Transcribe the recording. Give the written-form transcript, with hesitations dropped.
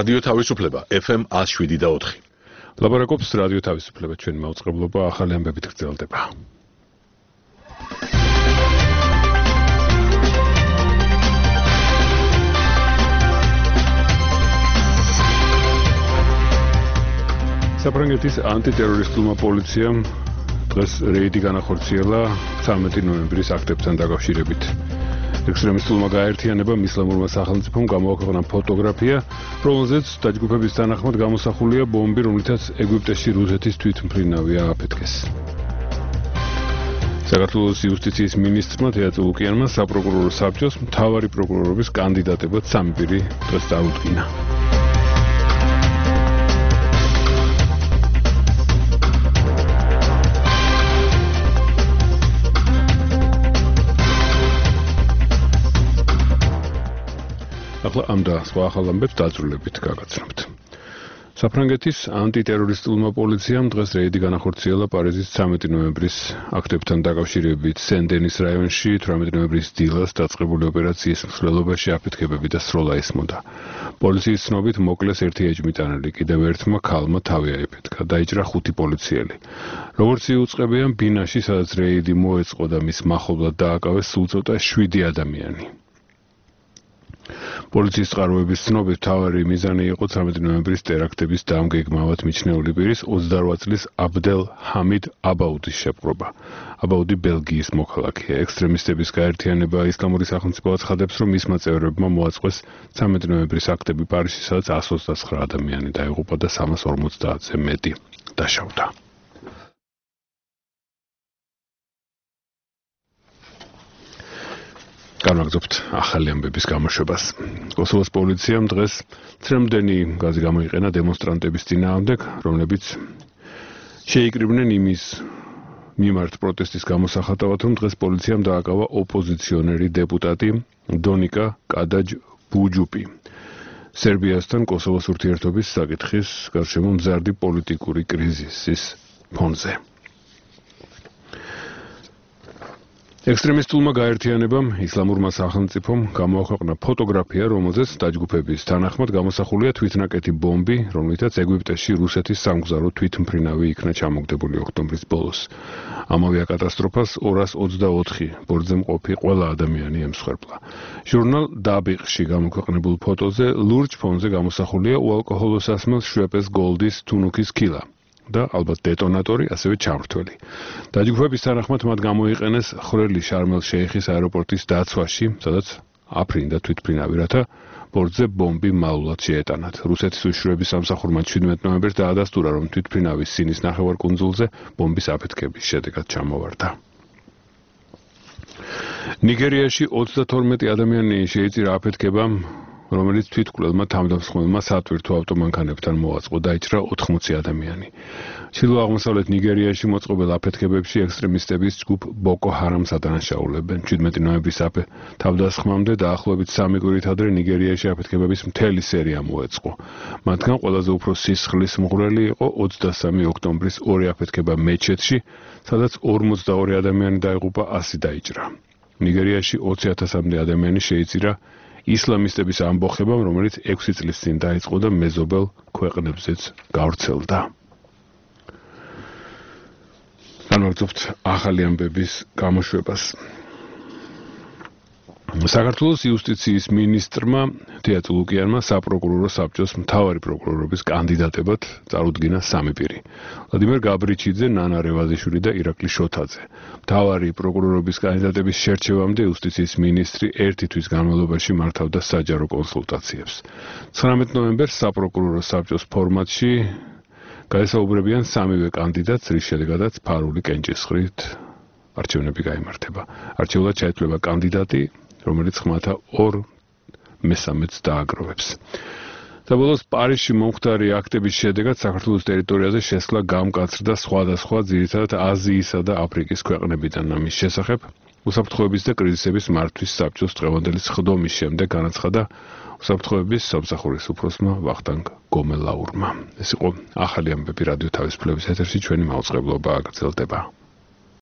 რადიო თავისუფლება FM 107.4. ლაბორატორიის რადიო თავისუფლება ჩვენი მაუწყებლობა ახალი ამბებით გრძელდება. საფრანგეთის ანტიტერორისტულმა პოლიციამ დღეს რეიდი განახორციელა 13 ნოემბრის აქტებთან დაკავშირებით. ექსტრემისტულმა გაერთიანებამ ისლამურმა სახელმწიფომ გამოაქვეყნა ფოტოგრაფია, რომელზეც დაჯგუფების თანახმად გამოსახულია ბომბი, რომლითაც ეგვიპტეში რუსეთის თვითმფრინავი ააფეთქეს. საქართველოს იუსტიციის მინისტრმა თეატრო ლუკიანმა საპროკურორო საბჭოს მთავარი პროკურორობის კანდიდატებად 3 პირი დღეს წარუდგინა. ახლა ამ და სხვა ახალ ამბებს დაწვრილებით გაგაცნობთ. საფრანგეთის ანტიტერორისტულმა პოლიციამ დღეს რეიდი განახორციელა პარიზის 13 ნოემბრის აქტებთან დაკავშირებით სენ-დენის რაიონში 18 ნოემბრის დილას დაწყებული ოპერაციის მსვლელობაში აფეთქებები და სროლა ესმოდა. პოლიციის ცნობით მოკლეს ერთი ეჭვმიტანილი, კიდევ ერთმა ქალმა თავი აიფეთქა, დაიჭრა 5 პოლიციელი. როგორც იუწყებიან, ბინაში, სადაც რეიდი მოეწყო და მის მახლობლად დააკავეს სულ ცოტა 7 ადამიანი. პოლიციის წყაროების ცნობით მთავარი მიზანი იყო 13 ნოემბრის ტერაქტების დამგეგმავად მიჩნეული პირის 28 წლის აბდელ ჰამიდ აბაუდის შეპყრობა. აბაუდი ბელგიის მოქალაქეა. ექსტრემისტების გაერთიანება ისლამური სახელმწიფო აცხადებს, რომ მისმა წევრებმა მოაწყვეს 13 ნოემბრის აქტები პარიზში, სადაც 129 ადამიანი დაიღუპა და 350-ზე მეტი დაშავდა. განვაგრძობთ ახალი ამბების გამოშვებას. კოსოვოს პოლიციამ დღეს ცრემლდენი გაზი გამოიყენა დემონსტრანტების წინააღმდეგ, რომლებიც შეიკრიბნენ იმის მიმართ პროტესტის გამოსახატავად, რომ დღეს პოლიციამ დააკავა ოპოზიციონერი დეპუტატი დონიკა კადაჯ-ბუჯუპი. სერბიასთან კოსოვოს ურთიერთობის საკითხის გარშემო მზარდი პოლიტიკური კრიზისის ფონზე. ექსტრემისტულმა გაერთიანებამ ისლამურმა სახელმწიფომ გამოაქვეყნა ფოტოგრაფია, რომელზეც დაჯგუფების თანახმად გამოსახულია თვითნაკეთი ბომბი, რომლითაც ეგვიპტეში რუსეთის სამგზავრო თვითმფრინავი იქნა ჩამოგდებული ოქტომბრის ბოლოს. ამ ავიაკატასტროფას 224 ბორცვზე მყოფი ყველა ადამიანი ემსხვერპლა. ჟურნალ დაბიყში გამოქვეყნებულ ფოტოზე ლურჯ ფონზე გამოსახულია უალკოჰოლო სასმელს შვეპეს გოლდის თუნუქის ქილა და ალბათ დეტონატორი, ასევე ჩამრთველი. დაჯგუფების თანახმად მათ გამოიყენეს ხრელი შარმელ-შეიხის აეროპორტის დაცვაში, სადაც აფრინდა თვითმფრინავი, რათა ბორცვზე ბომბი მალულად შეეტანათ. რუსეთის უშიშროების სამსახურმა 17 ნოემბერს დაადასტურა, რომ თვითმფრინავის სინის ნახევარკუნძულზე ბომბის აფეთქების შედეგად ჩამოვარდა. ნიგერიაში 32 ადამიანი შეიწირა აფეთქებამ, რომელიც თვითმკვლელმა თავდამსხმელმა სატვირთო ავტომანქანებთან მოაწყო, დაიჭრა 80 ადამიანი. ჩრდილო-აღმოსავლეთ ნიგერიაში მოწყობილ აფეთქებებში ექსტრემისტების ჯგუფ ბოკო ჰარამს ადანაშაულებენ. 17 ნოემბრის თავდასხმამდე დაახლოებით 3 კვირით ადრე ნიგერიაში აფეთქებების მთელი სერია მოეწყო. მათგან ყველაზე უფრო სისხლის მღვრელი იყო 23 ოქტომბრის ორი აფეთქება მეჩეთში, სადაც 42 ადამიანი დაიღუპა, 100 დაიჭრა. ნიგერიაში 20,000-მდე ადამიანი შეიწირა ისლამისტების ამბოხებამ, რომელიც 6 წლის წინ დაიწყო და მეზობელ ქვეყნებზეც გავრცელდა. განვაგრძობთ ახალი ამბების გამოშვებას. საქართველოს იუსტიციის მინისტრმა თეატრო ლუკიანმა საპროკურორო საბჭოს მთავარი პროკურორობის კანდიდატებად წარუდგინა 3 პირი. ვლადიმერ გაბრიჩიძე, ნანა რევაზიშვილი და ირაკლი შოთაძე. მთავარი პროკურორობის კანდიდატების შერჩევამდე იუსტიციის მინისტრი 1 თვის განმავლობაში მართავდა საჯარო კონსულტაციებს. 19 ნოემბერს საპროკურორო საბჭოს ფორმატში გაესაუბრებიან 3-ვე კანდიდატს, რის შედეგადაც ფარული კენჭისყრით არჩევნები გაიმართება. არჩეულად ჩაითვლება კანდიდატი, რომელიც ხმათა 2/3-ს დააგროვებს. საბოლოოს პარიზში მომხდარი აქტების შედეგად საქართველოს ტერიტორიაზე შესვლა გამკაცრდა სხვადასხვა ძირითადად აზიისა და აფრიკის ქვეყნებიდან. ამის შესახებ უსაფრთხოების და კრიზისების მართვის საბჭოს დღევანდელი სხდომის შემდეგ განაცხადა უსაფრთხოების სამსახურის უფროსმა ვახტანგ გომელაურმა. ეს იყო ახალი ამბები რადიო თავისუფლების ეთერში, ჩვენი მაუწყებლობა გრძელდება.